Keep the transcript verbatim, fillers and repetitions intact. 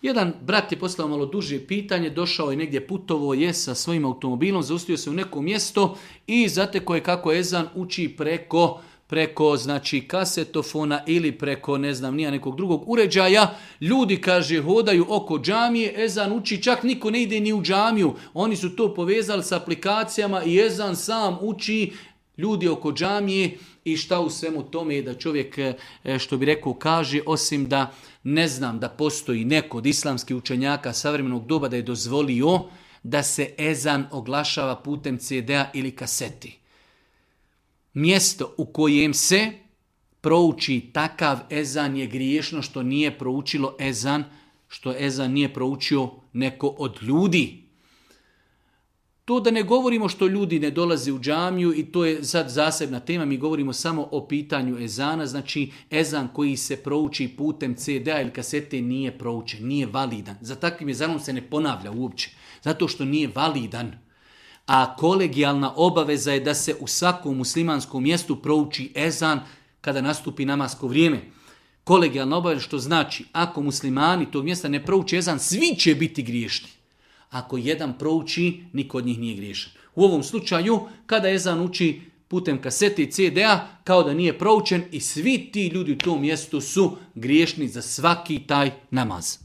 Jedan brat je poslao malo duže pitanje, došao je negdje, putovo je sa svojim automobilom, zaustavio se u neko mjesto i zateko je kako ezan uči preko preko znači kasetofona ili preko ne znam nija nekog drugog uređaja. Ljudi, kaže, hodaju oko džamije, ezan uči, čak niko ne ide ni u džamiju. Oni su to povezali s aplikacijama i ezan sam uči, ljudi oko džamije. I šta u svemu tome je da čovjek, što bi rekao, kaže, osim da ne znam da postoji neko od islamskih učenjaka savremenog doba da je dozvolio da se ezan oglašava putem ce de a ili kaseti. Mjesto u kojem se prouči takav ezan je griješno što nije proučilo ezan, što ezan nije proučio neko od ljudi. To da ne govorimo što ljudi ne dolaze u džamiju i to je sad zasebna tema, mi govorimo samo o pitanju ezana, znači ezan koji se prouči putem ce de a ili kasete nije proučen, nije validan. Za takvim ezanom se ne ponavlja uopće, zato što nije validan. A kolegijalna obaveza je da se u svakom muslimanskom mjestu prouči ezan kada nastupi namasko vrijeme. Kolegijalna obaveza što znači, ako muslimani tog mjesta ne prouči ezan, svi će biti griješni. Ako jedan prouči, niko od njih nije griješan. U ovom slučaju, kada ezan uči putem kasete i ce de a, kao da nije proučen i svi ti ljudi u tom mjestu su griješni za svaki taj namaz.